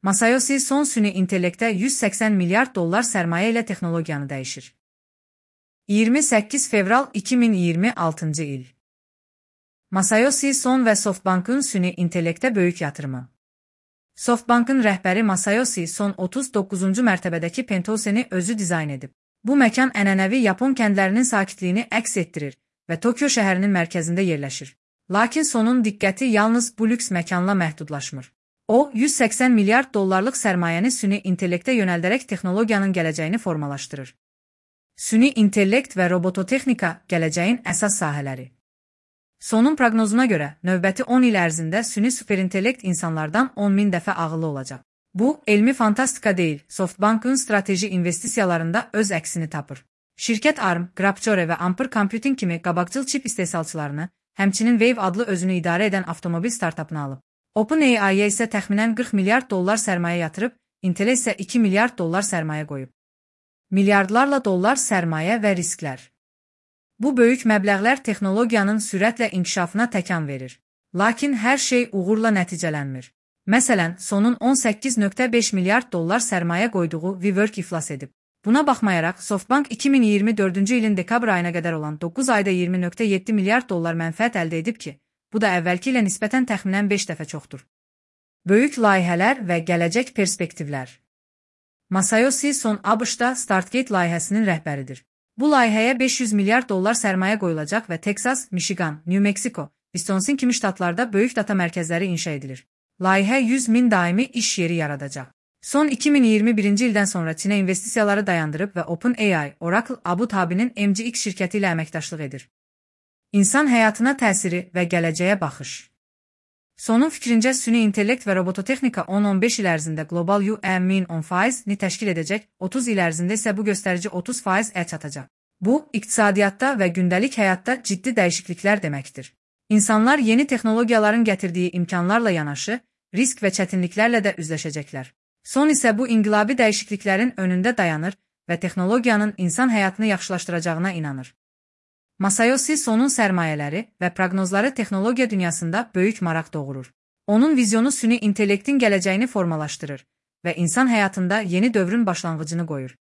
Masayoshi Son süni intellektə 180 milyard dollar sərmayə ilə texnologiyanı dəyişir. 28 fevral 2026 il. Masayoshi Son və SoftBank'ın süni intellektə böyük yatırımı. SoftBank'ın rəhbəri Masayoshi Son 39-cu mərtəbədəki penthouse'ni özü dizayn edib. Bu məkan ənənəvi Yapon kəndlərinin sakitliyini əks etdirir və Tokyo şəhərinin mərkəzində yerləşir. Lakin Sonun diqqəti yalnız bu lüks məkanla məhdudlaşmır. O, 180 milyard dollarlıq sərmayəni süni intellektə yönəldərək texnologiyanın gələcəyini formalaşdırır. Süni intellekt və robototexnika gələcəyin əsas sahələri. Sonun proqnozuna görə, növbəti 10 il ərzində süni superintellekt insanlardan 10.000 dəfə ağıllı olacaq. Bu, elmi fantastika deyil, SoftBank'ın strateji investisiyalarında öz əksini tapır. Şirkət ARM, Grapcore və Ampere Computing kimi qabaqcıl çip istehsalçılarını, həmçinin Wave adlı özünü idarə edən avtomobil startapını alıb. OpenAI-yə isə təxminən 40 milyard dollar sərmayə yatırıb, Intel isə 2 milyard dollar sərmayə qoyub. Milyardlarla dollar sərmayə və risklər. Bu böyük məbləğlər texnologiyanın sürətlə inkişafına təkan verir. Lakin hər şey uğurla nəticələnmir. Məsələn, Sonun 18.5 milyard dollar sərmayə qoyduğu WeWork iflas edib. Buna baxmayaraq, SoftBank 2024-cü ilin dekabr ayına qədər olan 9 ayda 20.7 milyard dollar mənfəət əldə edib ki, bu da əvvəlki ilə nisbətən təxminən 5 dəfə çoxdur. Böyük layihələr və gələcək perspektivlər. Masayoshi Son ABŞ-da StartGate layihəsinin rəhbəridir. Bu layihəyə 500 milyard dollar sərmayə qoyulacaq və Texas, Michigan, New Mexico, Wisconsin kimi ştatlarda böyük data mərkəzləri inşa edilir. Layihə 100.000 daimi iş yeri yaradacaq. Son 2021-ci ildən sonra Çinə investisiyaları dayandırıb və OpenAI, Oracle, Abu Dhabi'nin MGX şirkəti ilə əməkdaşlıq edir. İnsan həyatına təsiri və gələcəyə baxış. Sonun fikrincə, süni intellekt və robototexnika 10-15 il ərzində Global UM-in 10%-ni təşkil edəcək, 30 il ərzində isə bu göstərici 30%-ə çatacaq. Bu, iqtisadiyyatda və gündəlik həyatda ciddi dəyişikliklər deməkdir. İnsanlar yeni texnologiyaların gətirdiyi imkanlarla yanaşı, risk və çətinliklərlə də üzləşəcəklər. Son isə bu inqilabi dəyişikliklərin önündə dayanır və texnologiyanın insan həyatını yaxşılaşdıracağına inanır. Masayoshi Sonun sərmayələri və proqnozları texnologiya dünyasında böyük maraq doğurur. Onun vizyonu süni intellektin gələcəyini formalaşdırır və insan həyatında yeni dövrün başlanğıcını qoyur.